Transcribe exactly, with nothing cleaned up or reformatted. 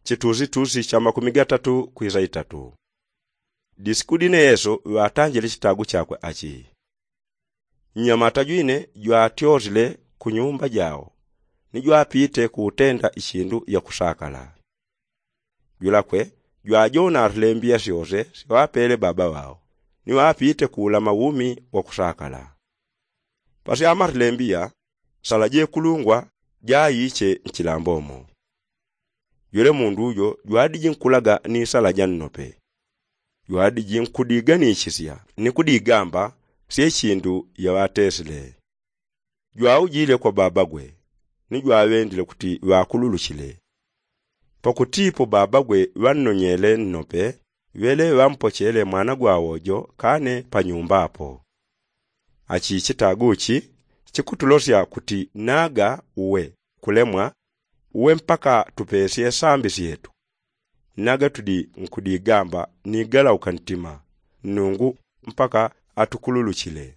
chitusitusi cha makumi gatatu kwisa itatu. Disiku dine yesu ŵatanjile chitagu chakwe achi. Mnyamata jwine jwatyosile ku nyumba jao ni jwapite kuutenda ichindu yakusakala. Jwelakwe jwajonarle mbiya syose syaŵapele baba ŵao ni ŵapite kuulama umi wakusakala. Pasyamarle mbiya sala jekulungwa jaiche nchilambo mo. Jwele mundu jo jwadiji nkulaga ni sala jannope. Jwadiji nkudiganishisya ni kudigamba sye chindu yaŵatesile. Jwaujile kwa babagwe ni jwaŵendile kuti ŵakululuchile. Pakutipo babagwe ŵannonyele nnope ŵele ŵampochele mwana gwawo jo kane panyumba apo. Achi chitagu chi chikutulosya kuti naga uwe kulemwa uwe mpaka tupesye sambi syetu. Naga tudi nkudigamba ni galauka ntima nnungu mpaka atukululuchile.